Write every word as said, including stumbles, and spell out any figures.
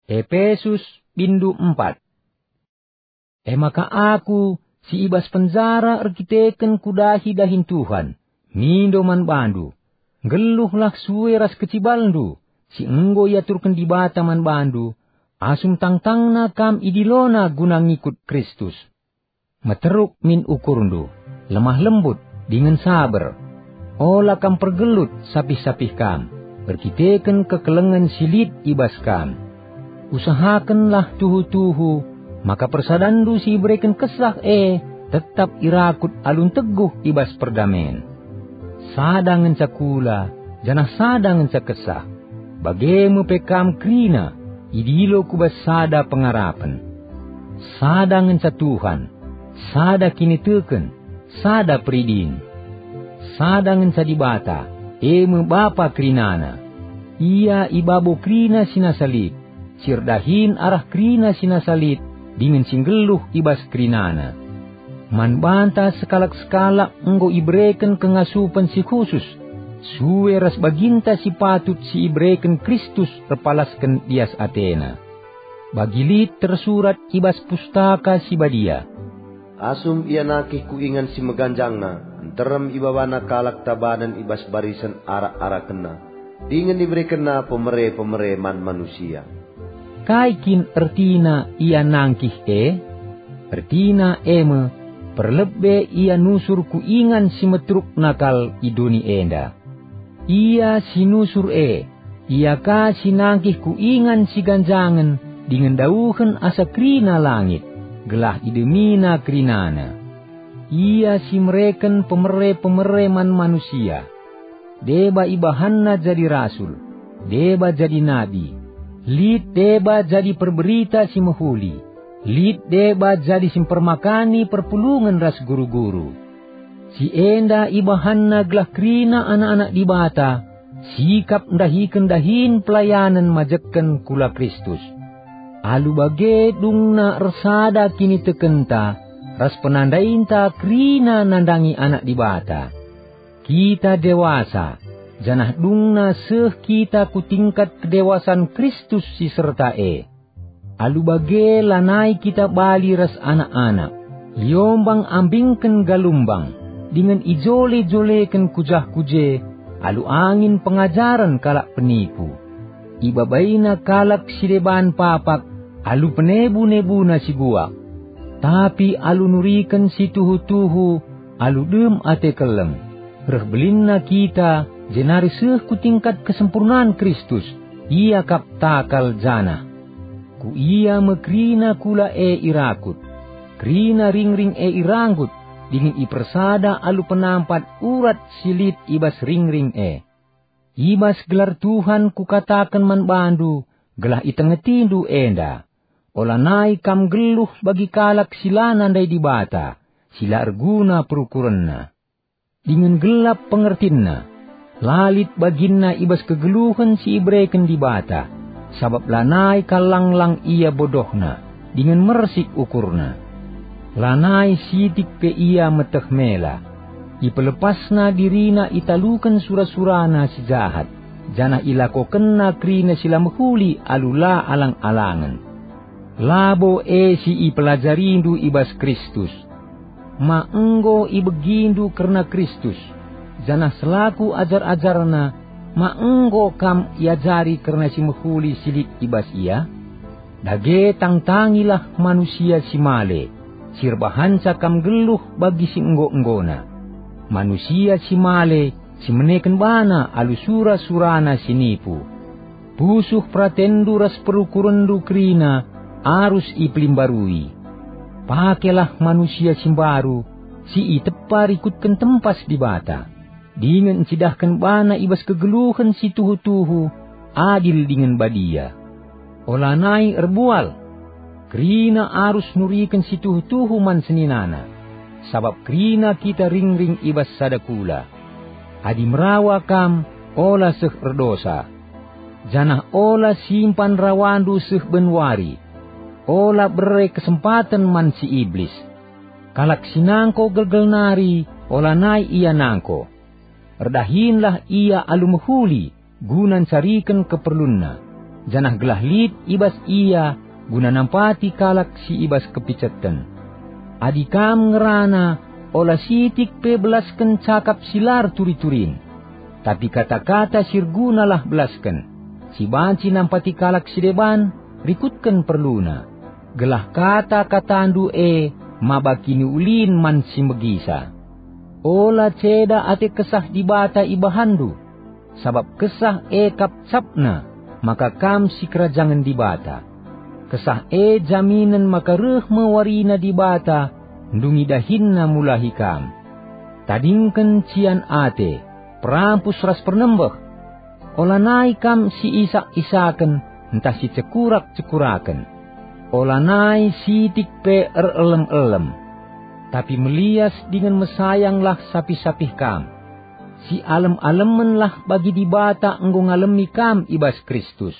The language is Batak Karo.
Epesus, bindu empat. E maka aku, si i bas penjara erkiteken kudahi dahin Tuhan, mindo man bandu, nggeluhlah sue ras kecibalndu, si enggo iaturken Dibata man bandu, asum tangtangna kam idilona guna ngikut Kristus. Meteruk min ukurndu, lemah lembut, dingen saber. Ola kam pergelut sapih-sapih kam, erkiteken kekelengen si lit i bas kam. Usahakenlah tuhu-tuhu, maka persadanndu si ibereken Kesah e tetap irakut alu nteguh i bas perdamen. Sada ngenca kula, janah sada ngenca Kesah. Bage me pe kam kerina, idilo ku bas sada pengarapen. Sada ngenca Tuhan, sada kiniteken, sada peridin. Sada ngenca Dibata, e me Bapa kerinana. Ia i babo kerina si nasa lit, si erdahin arah kerina si nasa lit, dingen si nggeluh i bas kerinana. Man banta sekalak-sekalak enggo ibereken kengasupen si khusus, sue ras baginta si patut si ibereken Kristus erpalasken lias ateNa. Bagi lit tersurat i bas Pustaka Si Badia, "Asum ia nangkih ku ingan si meganjangna, nterem ibabana kalak tabanen i bas barisen arak-arakenna, dingen iberekenna pemere-pemere man manusia." Kai kin ertina ia nangkih e? Ertina e me, perlebe ia nusur ku ingan si meterukna kal i doni enda. Ia si nusur e, ia ka si nangkih ku ingan si ganjangen dingen dauhen asa kerina langit, gelah idemina kerinana. Ia si mereken pemere-pemere man manusia. Deba ibahanna jadi rasul, deba jadi nabi, lit deba jadi perberita si mehuli, lit deba jadi si mpermakani perpulungen ras guru-guru. Si enda ibahanna gelah kerina anak-anak Dibata sikap ndahiken dahin pelayanen majekken kula Kristus. Alu bage dungna ersada kinitekenta ras penandainta kerina nandangi Anak Dibata. Kita dewasa, janah dungna seh kita ku tingkat kedewasan Kristus si serta e. Alu bage lanai kita bali ras anak-anak, iombang-ambingken galumbang, dingen ijole-joleken ku jah ku je, alu angin pengajaren kalak penipu. Ibabaina kalak si deban papak alu penebu-nebuna si guak. Tapi alu nuriken si tuhu-tuhu, alu dem ate keleng, reh belinna kita, jenari seh ku tingkat kesempurnan Kristus, ia kap takal janah. Ku ia me kerina kula e irakut, kerina ringring e iranggut, dingen ipersada alu penampat urat si lit i bas ringring e. I bas gelar Tuhan kukataken man bandu, gelah itengetindu enda. Olanai kam nggeluh bagi kalak si la nandai Dibata, si la erguna perukurenna. Dingen gelap pengertinna, la lit baginna i bas kegeluhen si ibereken Dibata, sabap lanai kal lang-lang ia bodohna, dingen mersik ukurna. Lanai sitik pe ia meteh mela. Ipelepasna dirina italuken sura-surana si jahat, janah ilakokenna kerina si la mehuli alu la alang-alangen. Labo e si ipelajarindu i bas Kristus. Ma enggo ibegindu kerna Kristus, janah selaku ajar-ajarNa, ma enggo kam iajari kerna si mehuli si lit i bas Ia? Dage tangtangilah manusia si male, si erbahanca kam nggeluh bagi si enggo-enggona. Manusia si male si meneken bana alu sura-surana si nipu. Pusuh peratenndu ras perukurenndu kerina arus ipelimbarui. Pakelah manusia si mbaru, si itepa rikutken tempas Dibata, dingen ncidahken bana i bas kegeluhen si tuhu-tuhu, adil dingen badia. Olanai erbual. Kerina arus nuriken si tuhu-tuhu man seninana, sabap kerina kita ringring i bas sada kula. Adi merawa kam, ola seh erdosa. Janah ola simpan rawandu seh ben wari. Ola bere kesempaten man si Iblis. Kalak si nangko gelgel nari, olanai ia nangko. Erdahinlah ia alu mehuli guna ncariken keperlunna. janah gelah lit i bas ia guna nampati kalak si i bas kepiceten. Adi kam ngerana, ola sitik pe belasken cakap si la erturi-turin. Tapi kata-kata si ergunalah belasken, si banci nampati kalak si deban, rikutken perluna, gelah kata-katandu e maba kiniulin man si megisa. Ola ceda ate Kesah Dibata ibahanndu, sabap Kesah e kap capna maka kam sikerajangen Dibata. Kesah e jaminen maka reh me warina Dibata ndungi dahinNa mulahi kam. Tadingken cian ate, perampus ras pernembeh. Olanai kam si isak-isaken ntah si cekurak-cekuraken. Olanai sitik pe erelem-elem. Tapi melias dingen mesayanglah sapih-sapih kam. Sialem-alemenlah bagi Dibata enggo ngalemi kam i bas Kristus.